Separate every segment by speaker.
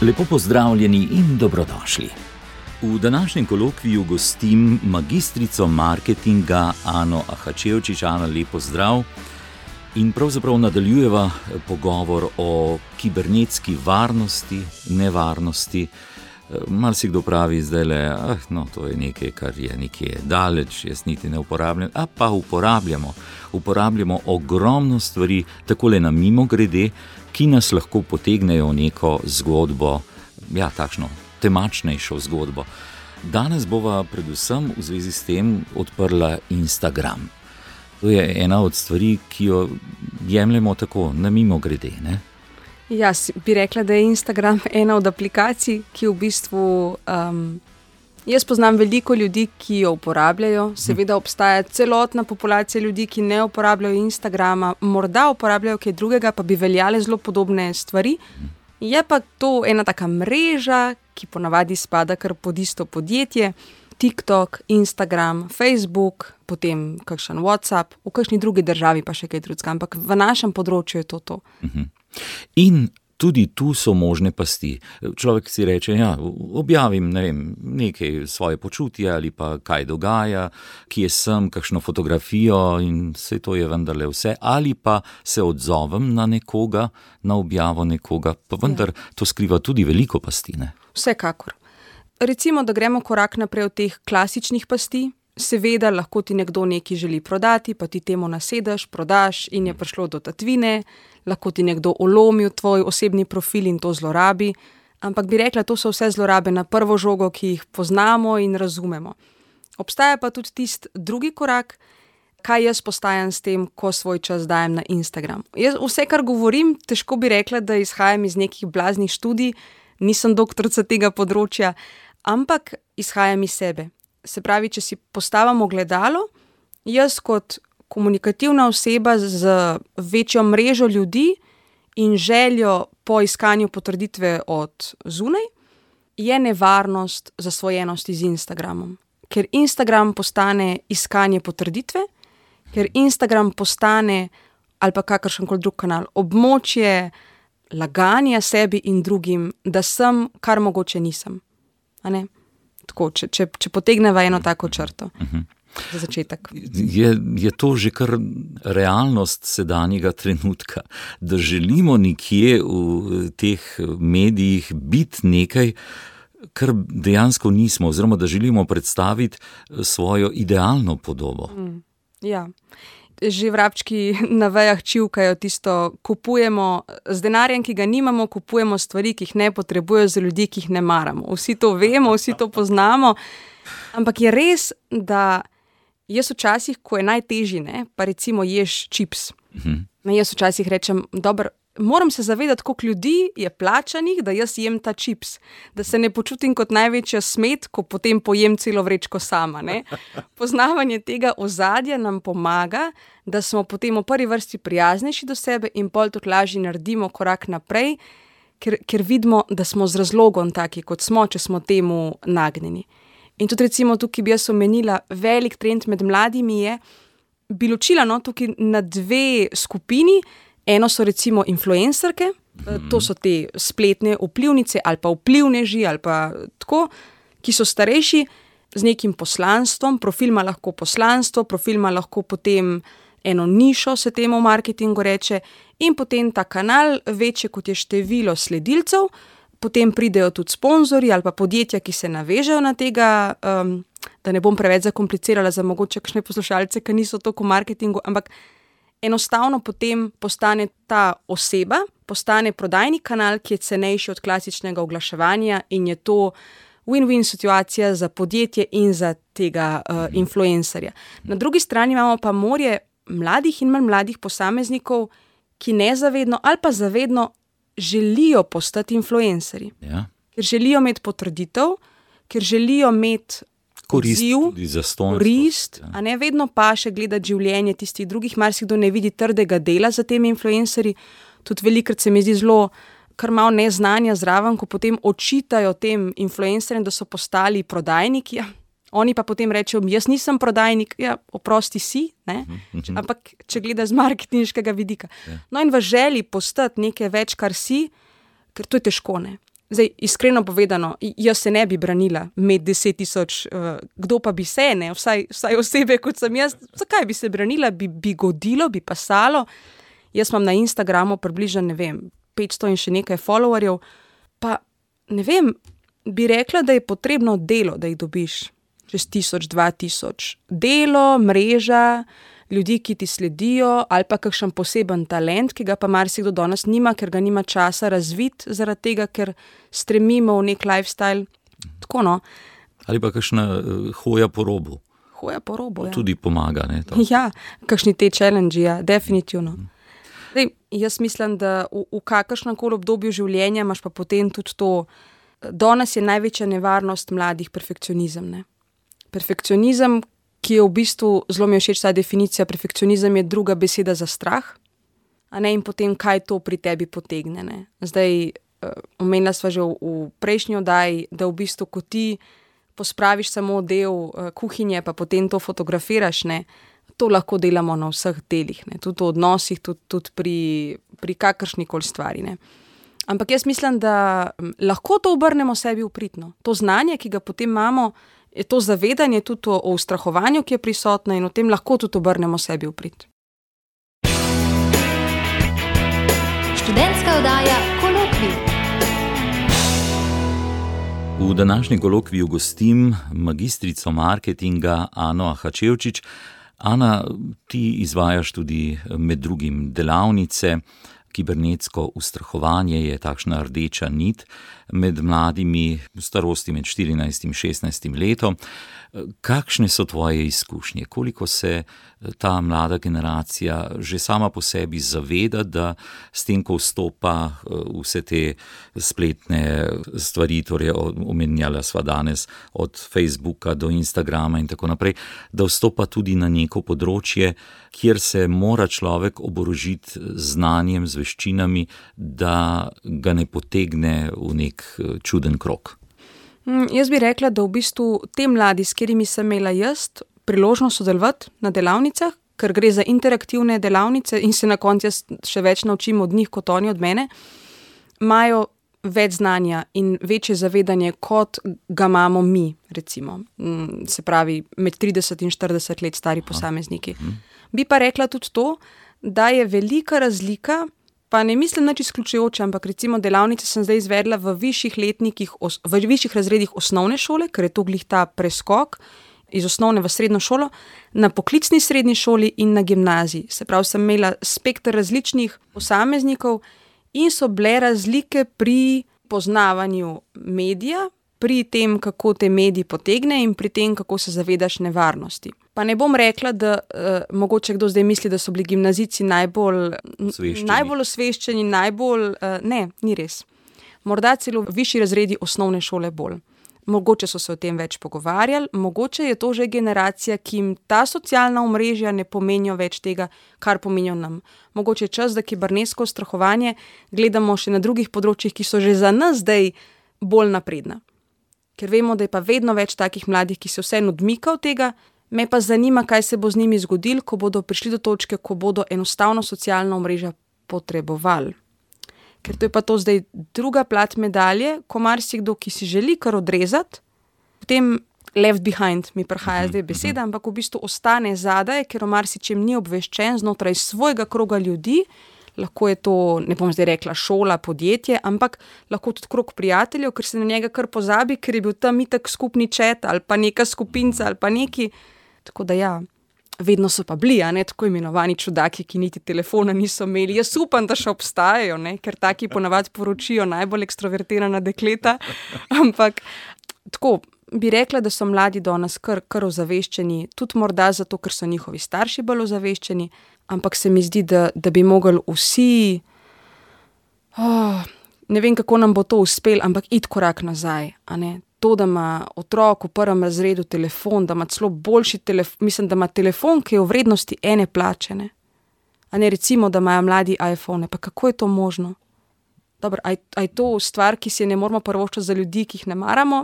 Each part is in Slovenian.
Speaker 1: Lepo pozdravljeni in dobrodošli. V današnjem kolokviju gostim magistrico marketinga Ano Ahačevčič. Ana, lepo zdrav. In pravzaprav nadaljujeva pogovor o kibernetski varnosti, nevarnosti. Marsikdo pravi zdajle, to je nekaj, kar je nekje daleč, jaz niti ne uporabljam. Pa uporabljamo ogromno stvari, takole na mimogrede, ki nas lahko potegnejo neko zgodbo, takšno temačnejšo zgodbo. Danes bova predvsem v zvezi s tem odprla Instagram. To je ena od stvari, ki jo jemljemo tako na mimogrede, ne?
Speaker 2: Jaz bi rekla, da je Instagram ena od aplikacij, ki v bistvu, jaz poznam veliko ljudi, ki jo uporabljajo. Seveda obstaja celotna populacija ljudi, ki ne uporabljajo Instagrama, morda uporabljajo kaj drugega, pa bi veljale zelo podobne stvari. Je pa to ena taka mreža, ki ponavadi spada kar pod isto podjetje. TikTok, Instagram, Facebook, potem kakšen WhatsApp, v kakšni drugi državi pa še kaj drugega, ampak v našem področju je to.
Speaker 1: In tudi tu so možne pasti. Človek si reče, objavim, nekaj svoje počutje ali pa kaj dogaja, kje sem, kakšno fotografijo in vse to je vendarle vse. Ali pa se odzovem na nekoga, na objavo nekoga, pa vendar to skriva tudi veliko pasti, ne?
Speaker 2: Vsekakor. Recimo, da gremo korak naprej od teh klasičnih pasti. Seveda lahko ti nekdo nekaj želi prodati, pa ti temu nasedeš, prodaš in je prišlo do tatvine. Lahko ti nekdo ulomi v tvoj osebni profil in to zlorabi. Ampak bi rekla, to so vse zlorabe na prvo žogo, ki jih poznamo in razumemo. Obstaja pa tudi tisti drugi korak, kaj jaz postajam s tem, ko svoj čas dajem na Instagram. Jaz vse, kar govorim, težko bi rekla, da izhajam iz nekih blaznih študij, nisem doktorica tega področja, ampak izhajam iz sebe. Se pravi, če si postavim ogledalo, jaz kot komunikativna oseba z večjo mrežo ljudi in željo po iskanju potrditve od zunaj, je nevarnost zasvojenosti z Instagramom. Ker Instagram postane iskanje potrditve, ker Instagram postane, ali pa kakršenkoli drug kanal, območje laganja sebi in drugim, da sem, kar mogoče nisem. A ne? Tako, če potegneva eno tako črto za začetek.
Speaker 1: Je to že kar realnost sedanjega trenutka, da želimo nekje v teh medijih biti nekaj, kar dejansko nismo, oziroma da želimo predstaviti svojo idealno podobo.
Speaker 2: Ja. Že vrabčki na vejah čivkajo tisto, kupujemo z denarjem, ki ga nimamo, kupujemo stvari, ki jih ne potrebujejo, za ljudi, ki jih ne maramo. Vsi to vemo, vsi to poznamo, ampak je res, da jaz včasih, ko je najtežji, pa recimo ješ čips, jaz včasih rečem, dobro, moram se zavedati, koliko ljudi je plačanih, da jaz jem ta čips, da se ne počutim kot največja smet, ko potem pojem celo vrečko sama, ne. Poznavanje tega ozadja nam pomaga, da smo potem v prvi vrsti prijaznejši do sebe in pol tudi lažje naredimo korak naprej, ker vidimo, da smo z razlogom taki, kot smo, če smo temu nagnjeni. In tudi recimo tukaj bi jaz omenila, velik trend med mladimi je, bi ločila tukaj na dve skupini. Eno so recimo influencerke, to so te spletne vplivnice ali pa vplivneži ali pa tako, ki so starejši z nekim poslanstvom, profil ima lahko poslanstvo, profil ima lahko potem eno nišo, se temu v marketingu reče, in potem ta kanal večje, kot je število sledilcev, potem pridejo tudi sponzorji ali pa podjetja, ki se navežejo na tega, da ne bom preveč zakomplicirala za mogoče kakšne poslušalce, ki niso toliko v marketingu, ampak enostavno potem postane ta oseba, postane prodajni kanal, ki je cenejši od klasičnega oglaševanja in je to win-win situacija za podjetje in za tega influencerja. Na drugi strani imamo pa morje mladih in manj mladih posameznikov, ki nezavedno ali pa zavedno želijo postati influencerji.
Speaker 1: Ja.
Speaker 2: Ker želijo imeti potrditev, ker želijo imeti korist, a ne vedno pa še gledati življenje tistih drugih, marsikdo ne vidi trdega dela za temi influencerji, tudi velikrat se mi zdi zelo kar malo neznanja zraven, ko potem očitajo tem influencerjem, da so postali prodajniki. Oni pa potem rečejo, jaz nisem prodajnik, ja, oprosti si, ne? Ampak če gleda z marketinškega vidika. No in v želji postati nekaj več, kar si, ker to je težko, ne. Zdaj, iskreno povedano, jaz se ne bi branila med 10 000, kdo pa bi se, ne, vsaj osebe, kot sem jaz, zakaj bi se branila, bi godilo, bi pasalo. Jaz imam na Instagramu približno, ne vem, 500 in še nekaj followerjev, pa ne vem, bi rekla, da je potrebno delo, da jih dobiš čez 1000, 2000. Delo, mreža, ljudi, ki ti sledijo, ali pa kakšen poseben talent, ki ga pa marsikdo danes nima, ker ga nima časa razviti, zaradi tega, ker stremimo v nek lifestyle. Tako, no.
Speaker 1: Ali pa kakšna hoja po robu.
Speaker 2: Hoja po robu, ja.
Speaker 1: Tudi pomaga, ne? To.
Speaker 2: Ja, kakšni te challenge, ja, definitivno. Zdaj, jaz mislim, da v kakršnem koli obdobju življenja imaš pa potem tudi to, danes je največja nevarnost mladih perfekcionizem, ne. Perfekcionizem, ki je v bistvu, zelo mi je všeč ta definicija, perfekcionizem je druga beseda za strah, a ne, in potem kaj to pri tebi potegne, ne. Zdaj, omenila sva že v prejšnji oddaji, da v bistvu, ko ti pospraviš samo del kuhinje, pa potem to fotografiraš, ne, to lahko delamo na vseh delih, ne, tudi v odnosih, tudi pri kakršnikoli stvari, ne. Ampak jaz mislim, da lahko to obrnemo sebi v prid, no. To znanje, ki ga potem imamo, je to zavedanje tudi o ustrahovanju, ki je prisotno, in o tem lahko tudi obrnemo sebi v prid.
Speaker 3: Študentska oddaja Kolokvij.
Speaker 1: V današnjem kolokviju gostim magistrico marketinga Ano Ahačevčič. Ana, ti izvajaš tudi med drugim delavnice. Kibernetsko ustrahovanje je takšna rdeča nit med mladimi v starosti med 14 in 16 letom. Kakšne so tvoje izkušnje? Koliko se ta mlada generacija že sama po sebi zaveda, da s tem, ko vstopa vse te spletne stvari, torej omenjala sva danes od Facebooka do Instagrama in tako naprej, da vstopa tudi na neko področje, kjer se mora človek oborožiti znanjem, z veščinami, da ga ne potegne v nek čuden krog?
Speaker 2: Jaz bi rekla, da v bistvu te mladi, s katerimi sem imela jaz priložnost sodelovati na delavnicah, ker gre za interaktivne delavnice in se na koncu jaz še več naučim od njih, kot oni od mene, imajo več znanja in večje zavedanje, kot ga imamo mi, recimo. Se pravi, med 30 in 40 let stari posamezniki. Bi pa rekla tudi to, da je velika razlika, pa ne mislim nič izključujoče, ampak recimo delavnice sem zdaj izvedla v višjih razredih osnovne šole, ker je to glih ta preskok iz osnovne v srednjo šolo, na poklicni srednji šoli in na gimnaziji. Se pravi, sem imela spekter različnih posameznikov in so bile razlike pri poznavanju medija, pri tem, kako te mediji potegne in pri tem, kako se zavedaš nevarnosti. Pa ne bom rekla, da mogoče kdo zdaj misli, da so bili gimnazijci najbolj osveščeni, ne, ni res. Morda celo višji razredi osnovne šole bolj. Mogoče so se o tem več pogovarjali, mogoče je to že generacija, ki jim ta socialna omrežja ne pomenijo več tega, kar pomenijo nam. Mogoče je čas, da kibernetsko ustrahovanje gledamo še na drugih področjih, ki so že za nas zdaj bolj napredna. Ker vemo, da je pa vedno več takih mladih, ki se vseeno odmika od tega, me pa zanima, kaj se bo z njimi zgodilo, ko bodo prišli do točke, ko bodo enostavno socialna omrežja potrebovali. Ker to je pa to zdaj druga plat medalje, ko marsikdo, ki si želi kar odrezati, potem left behind mi prihaja zdaj beseda, ampak v bistvu ostane zadaj, ker o marsičem ni obveščen znotraj svojega kroga ljudi, lahko je to, ne bom zdaj rekla šola, podjetje, ampak lahko tudi krog prijateljev, ker se na njega kar pozabi, ker je bil tam itak skupni chat ali pa neka skupinca ali pa neki. Tako da ja, vedno so pa bili, ne, tako imenovani čudaki, ki niti telefona niso imeli. Jaz upam, da še obstajajo, ne, ker taki ponavadi poročijo najbolj ekstrovertirana dekleta, ampak tako bi rekla, da so mladi danes kar ozaveščeni, tudi morda zato, ker so njihovi starši bolj ozaveščeni, ampak se mi zdi, da bi mogli vsi, ne vem, kako nam bo to uspelo, ampak iti korak nazaj, a ne. To, da ima otrok v prvem razredu telefon, da ima celo boljši telefon, mislim, da ima telefon, ki je v vrednosti ene plače, ne. A ne, recimo, da imajo mladi iPhone, pa kako je to možno? Dobro, a je to stvar, ki si ne moramo privoščiti za ljudi, ki jih ne maramo?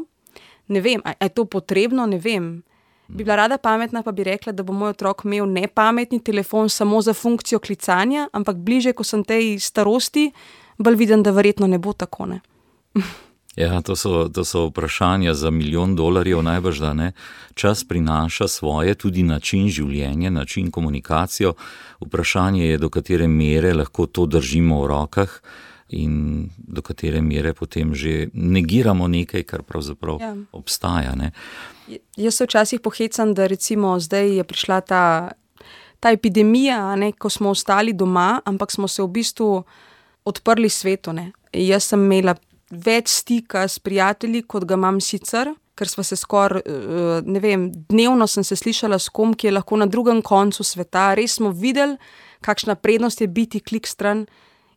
Speaker 2: Ne vem, a je to potrebno, ne vem. Bi bila rada pametna, pa bi rekla, da bo moj otrok imel nepametni telefon samo za funkcijo klicanja, ampak bliže, ko sem tej starosti, bolj vidim, da verjetno ne bo tako, ne.
Speaker 1: Ja, to so vprašanja za $1 milijon najbrž, da ne. Čas prinaša svoje, tudi način življenja, način komunikacijo. Vprašanje je, do katere mere lahko to držimo v rokah in do katere mere potem že negiramo nekaj, kar pravzaprav obstaja, ne.
Speaker 2: Jaz se včasih pohecam, da recimo zdaj je prišla ta epidemija, ne, ko smo ostali doma, ampak smo se v bistvu odprli svetu, ne. Jaz sem imela več stika s prijatelji, kot ga imam sicer, ker sva se skoraj, ne vem, dnevno sem se slišala s kom, ki je lahko na drugem koncu sveta. Res smo videli, kakšna prednost je biti klik stran.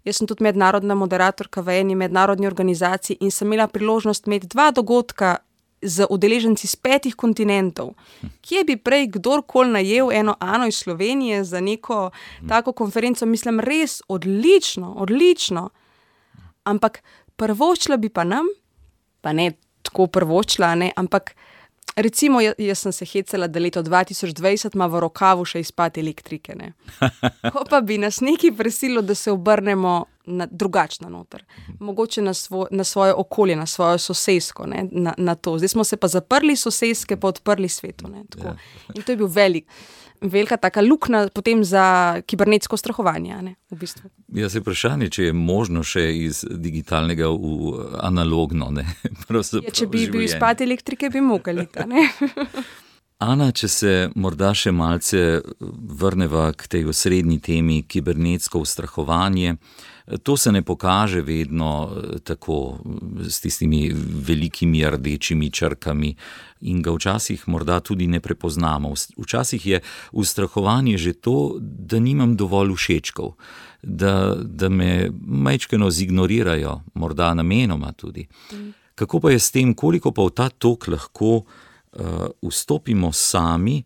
Speaker 2: Jaz sem tudi mednarodna moderatorka v eni mednarodni organizaciji in sem imela priložnost imeti 2 dogodka z udeleženci z 5 kontinentov. Kje bi prej kdorkoli najel eno Ano iz Slovenije za neko tako konferenco? Mislim, res odlično. Ampak prvoščila bi pa nam, pa ne tako prvoščila, ne, ampak recimo jaz sem se hecala, da leto 2020 ima v rokavu še izpad elektrike, ne. Ko pa bi nas nekaj prisilo, da se obrnemo drugačno noter. Mogoče na svoje okolje, na svojo sosesko, ne, na to. Zdaj smo se pa zaprli soseske, pa odprli svetu, ne, tako. In to je bil velika taka luknja potem za kibernetsko strahovanje, ne, v bistvu.
Speaker 1: Ja, se vprašanje, če je možno še iz digitalnega v analogno, ne.
Speaker 2: Če bi bil izpad elektrike, bi mogli, ne.
Speaker 1: Ana, če se morda še malce vrneva k tej osrednji temi, kibernetsko ustrahovanje, to se ne pokaže vedno tako s tistimi velikimi rdečimi črkami in ga včasih morda tudi ne prepoznamo. Včasih je ustrahovanje že to, da nimam dovolj všečkov, da me majčkeno zignorirajo, morda namenoma tudi. Kako pa je s tem, koliko pa v ta tok lahko vstopimo sami,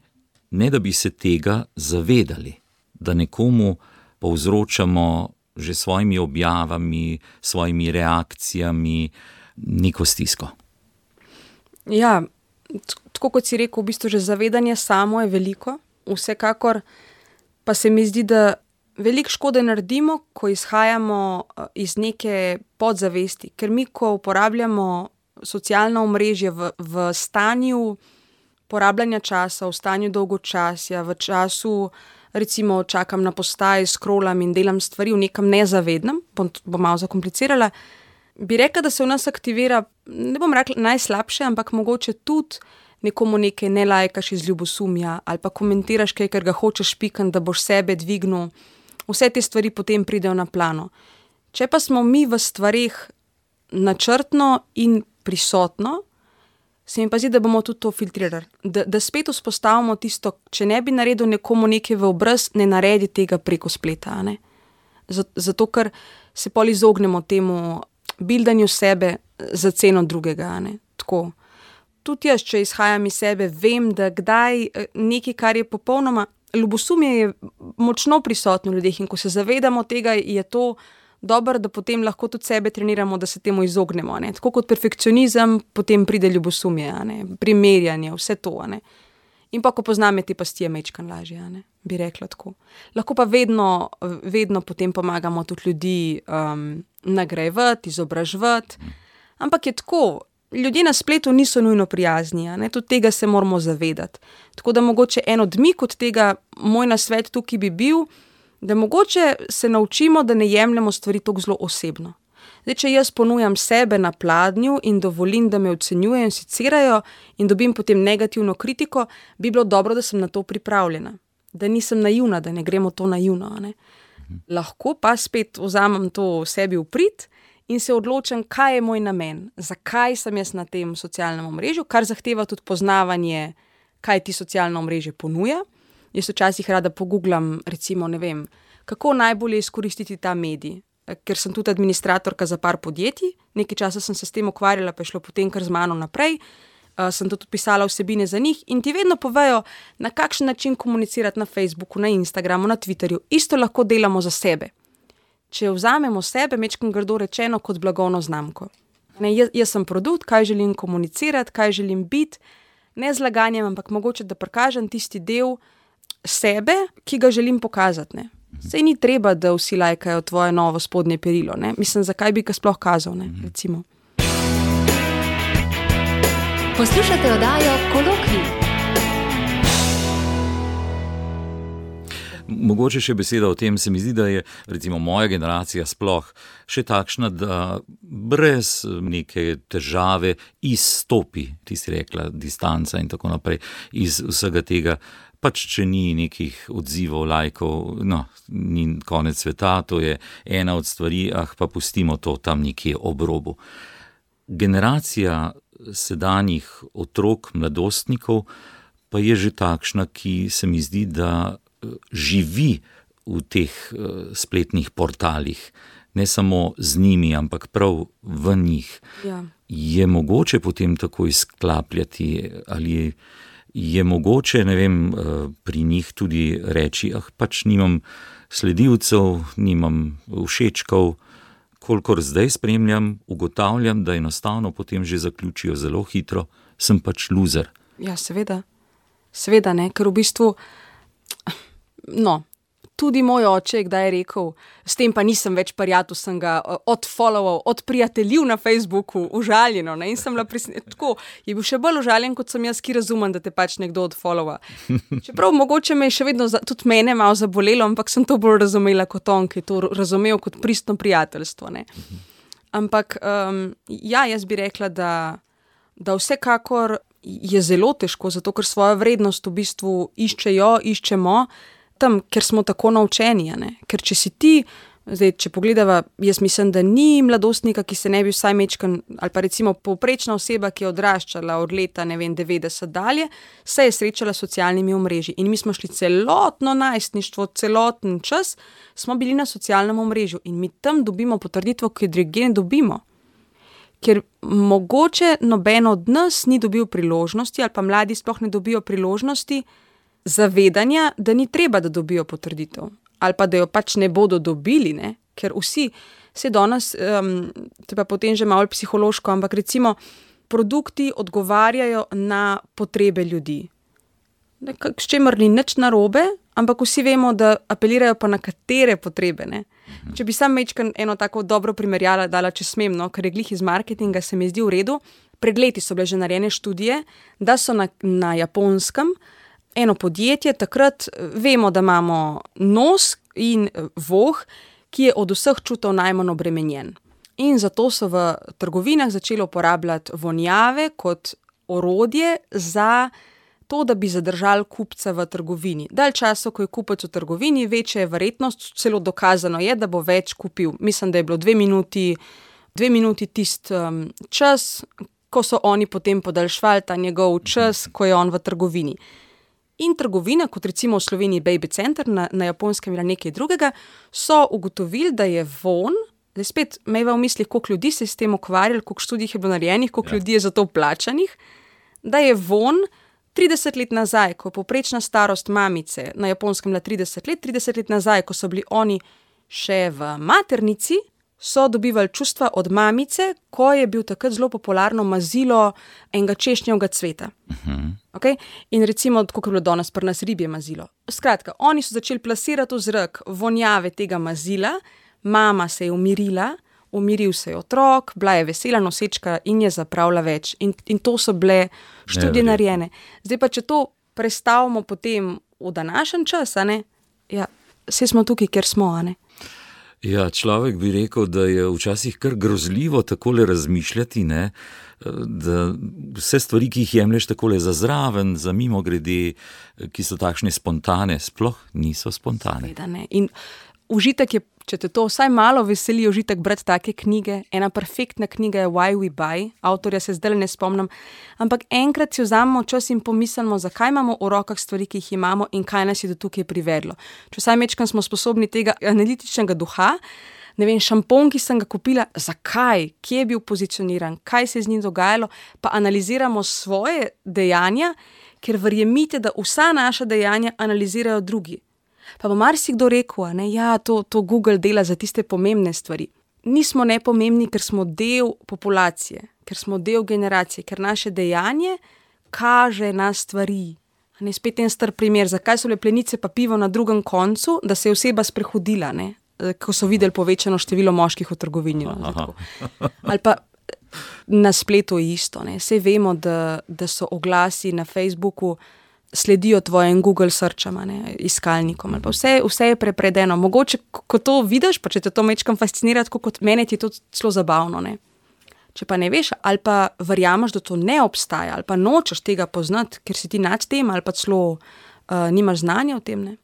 Speaker 1: ne da bi se tega zavedali, da nekomu povzročamo že svojimi objavami, svojimi reakcijami neko stisko.
Speaker 2: Ja, tako kot si rekel, v bistvu že zavedanje samo je veliko, vsekakor pa se mi zdi, da veliko škode naredimo, ko izhajamo iz neke podzavesti, ker mi, ko uporabljamo socialna omrežja v stanju porabljanja časa, v stanju dolgočasja, v času, recimo čakam na postaji, scrollam in delam stvari v nekem nezavednem, bom malo zakomplicirala, bi rekla, da se v nas aktivira, ne bom rekla najslabše, ampak mogoče tudi nekomu nekaj ne lajkaš iz ljubosumja ali pa komentiraš kaj, ker ga hočeš pikati, da boš sebe dvignil. Vse te stvari potem pridejo na plano. Če pa smo mi v stvareh načrtno in prisotno, se mi pa zdi, da bomo tudi to filtrirali. Da spet vzpostavimo tisto, če ne bi naredil nekomu nekaj v obraz, ne naredi tega preko spleta, ne. Zato, ker se pol izognemo temu bildanju sebe za ceno drugega, ne. Tako. Tudi jaz, če izhajam iz sebe, vem, da kdaj nekaj, kar je popolnoma, ljubosumje je močno prisotno v ljudeh in ko se zavedamo tega, je to dobro, da potem lahko tudi sebe treniramo, da se temu izognemo, ne. Tako kot perfekcionizem, potem pride ljubosumje, ne. Primerjanje, vse to, ne. In pa, ko poznam te pasti, je majčkeno lažje, ne, bi rekla tako. Lahko pa vedno potem pomagamo tudi ljudi nagrajevati, izobraževati, ampak je tako, ljudje na spletu niso nujno prijazni, ne, tudi tega se moramo zavedati. Tako da mogoče en odmik od tega, moj nasvet tukaj bi bil, da mogoče se naučimo, da ne jemljemo stvari tako zelo osebno. Zdaj, če jaz ponujam sebe na pladnju in dovolim, da me ocenjujejo in secirajo in dobim potem negativno kritiko, bi bilo dobro, da sem na to pripravljena. Da nisem naivna, da ne gremo to naivno, ne. Lahko pa spet vzamem to sebi v prid in se odločim, kaj je moj namen, zakaj sem jaz na tem socialnem omrežju, kar zahteva tudi poznavanje, kaj ti socialno omrežje ponuja. Jaz včasih rada poguglam, recimo, ne vem, kako najbolje izkoristiti ta medij, ker sem tudi administratorka za par podjetij, nekaj časa sem se s tem ukvarjala, pa je šlo potem kar z mano naprej, sem tudi pisala vsebine za njih in ti vedno povejo, na kakšen način komunicirati na Facebooku, na Instagramu, na Twitterju, isto lahko delamo za sebe. Če vzamemo sebe, majčkeno grdo rečeno, kot blagovno znamko. Ne, jaz sem produkt, kaj želim komunicirati, kaj želim biti, ne z laganjem, ampak mogoče, da prikažem tisti del sebe, ki ga želim pokazati. Ne. Sej ni treba, da vsi lajkajo tvoje novo spodnje perilo. Ne. Mislim, zakaj bi ga sploh kazal, ne, recimo.
Speaker 3: Poslušate oddajo Kolokvij.
Speaker 1: Mogoče še beseda o tem, se mi zdi, da je recimo moja generacija sploh še takšna, da brez neke težave izstopi, ti si rekla, distanca in tako naprej, iz vsega tega, pač če ni nekih odzivov, lajkov, no, ni konec sveta, to je ena od stvari, pa pustimo to tam nekje ob robu. Generacija sedanjih otrok, mladostnikov, pa je že takšna, ki se mi zdi, da živi v teh spletnih portalih, ne samo z njimi, ampak prav v njih.
Speaker 2: Ja.
Speaker 1: Je mogoče potem tako izklapljati, ali je mogoče, ne vem, pri njih tudi reči, pač nimam sledilcev, nimam všečkov, kolikor zdaj spremljam, ugotavljam, da enostavno potem že zaključijo zelo hitro, sem pač loser.
Speaker 2: Ja, seveda. Seveda, ne, ker v bistvu tudi moj oče je kdaj rekel, s tem pa nisem več prijatelj, sem ga odfollowal, odprijateljil na Facebooku, užaljeno, ne, in sem bila tako, je bil še bolj užaljen, kot sem jaz, ki razumem, da te pač nekdo odfollowa. Čeprav mogoče me je še vedno, tudi mene malo zabolelo, ampak sem to bolj razumela kot on, ki je to razumel kot pristno prijateljstvo, ne. Ampak, jaz bi rekla, da vsekakor je zelo težko, zato ker svojo vrednost v bistvu iščemo tam, ker smo tako naučeni, ne? Ker če si ti, zdaj, če pogledava, jaz mislim, da ni mladostnika, ki se ne bi vsaj mečkan, ali pa recimo povprečna oseba, ki je odraščala od leta, 90 dalje, se je srečala s socialnimi omrežji. In mi smo šli celotno najstništvo, celoten čas, smo bili na socialnem omrežju in mi tam dobimo potrditev, ki drugje ne dobimo. Ker mogoče noben od nas ni dobil priložnosti, ali pa mladi sploh ne dobijo priložnosti, zavedanja, da ni treba, da dobijo potrditev. Ali pa, da jo pač ne bodo dobili, ne? Ker vsi, se danes, to pa potem že malo psihološko, ampak recimo produkti odgovarjajo na potrebe ljudi. S čemer ni nič narobe, ampak vsi vemo, da apelirajo pa na katere potrebe, ne? Če bi sam mečkan eno tako dobro primerjala dala, če smem, no, ker je glih iz marketinga, se mi zdi v redu. Pred leti so bile že narejene študije, da so na Japonskem eno podjetje, takrat vemo, da imamo nos in voh, ki je od vseh čutov najmanj obremenjen. In zato so v trgovinah začeli uporabljati vonjave kot orodje za to, da bi zadržali kupca v trgovini. Dalj časa, ko je kupec v trgovini, večja je verjetnost, celo dokazano je, da bo več kupil. Mislim, da je bilo 2 minuti tist čas, ko so oni potem podaljšvali ta njegov čas, ko je on v trgovini. In trgovina, kot recimo v Sloveniji Baby Center, na Japonskem ali nekaj drugega, so ugotovili, da je von, da je spet imeva v mislih, koliko ljudi se je s tem ukvarjali, koliko študij je bilo narejenih, koliko ljudi je za to plačanih, da je von 30 let nazaj, ko je povprečna starost mamice na Japonskem bila 30 let nazaj, ko so bili oni še v maternici, so dobivali čustva od mamice, ko je bil takrat zelo popularno mazilo enega češnjevega cveta. Okay? In recimo, kot je bilo danes pri nas ribje mazilo. Skratka, oni so začeli plasirati v zrak vonjave tega mazila, mama se je umirila, umiril se je otrok, bila je vesela nosečka in je zapravila več. In to so bile študije narejene. Zdaj pa, če to prestavimo potem v današnji čas, a ne? Ja, saj smo tukaj, ker smo, a ne?
Speaker 1: Ja, človek bi rekel, da je včasih kar grozljivo takole razmišljati, ne, da vse stvari, ki jih jemlješ takole za zraven, za mimogrede, ki so takšne spontane, sploh niso spontane.
Speaker 2: Seveda ne. In užitek je, če te to vsaj malo veseli, užitek brati take knjige. Ena perfektna knjiga je Why We Buy, avtorja se zdaj ne spomnim, ampak enkrat si vzamemo čas in pomislimo, zakaj imamo v rokah stvari, ki jih imamo in kaj nas je do tukaj privedlo. Če vsaj mečkam smo sposobni tega analitičnega duha, ne vem, šampon, ki sem ga kupila, zakaj, kje je bil pozicioniran, kaj se je z njim dogajalo, pa analiziramo svoje dejanja, ker verjemite, da vsa naša dejanja analizirajo drugi. Pa bo marsikdo rekel, ne, ja, to Google dela za tiste pomembne stvari. nismo nepomembni, ker smo del populacije, ker smo del generacije, ker naše dejanje kaže na stvari. Ne, spet en star primer, zakaj so bile plenice pa pivo na drugem koncu, da se je oseba sprehodila, ne? Ko so videli povečano število moških v trgovini. Ali pa na spletu isto. Ne? Saj vemo, da so oglasi na Facebooku sledijo tvojim Google searchama, ne? Iskalnikom. Ali pa vse je prepredeno. Mogoče, ko to vidiš, pa če te to mečkam fascinira, tako kot mene, ti je to celo zabavno. Ne? Če pa ne veš, ali pa verjameš, da to ne obstaja, ali pa nočeš tega poznati, ker si ti nad tem, ali pa celo nimaš znanja o tem, ne?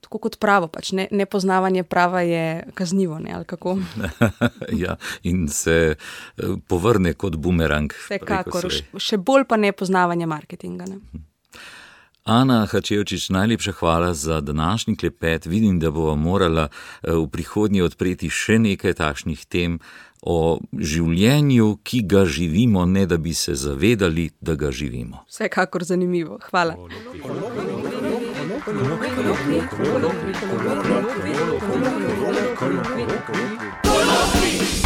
Speaker 2: Tako kot pravo, pač nepoznavanje prava je kaznivo, ne, ali kako?
Speaker 1: Ja, in se povrne kot bumerang.
Speaker 2: Vsekakor, še bolj pa nepoznavanje marketinga, ne.
Speaker 1: Ana Hačevčič, najlepša hvala za današnji klepet. Vidim, da bova morala v prihodnje odpreti še nekaj takšnih tem o življenju, ki ga živimo, ne da bi se zavedali, da ga živimo.
Speaker 2: Vsekakor zanimivo. Hvala. Kolokvij.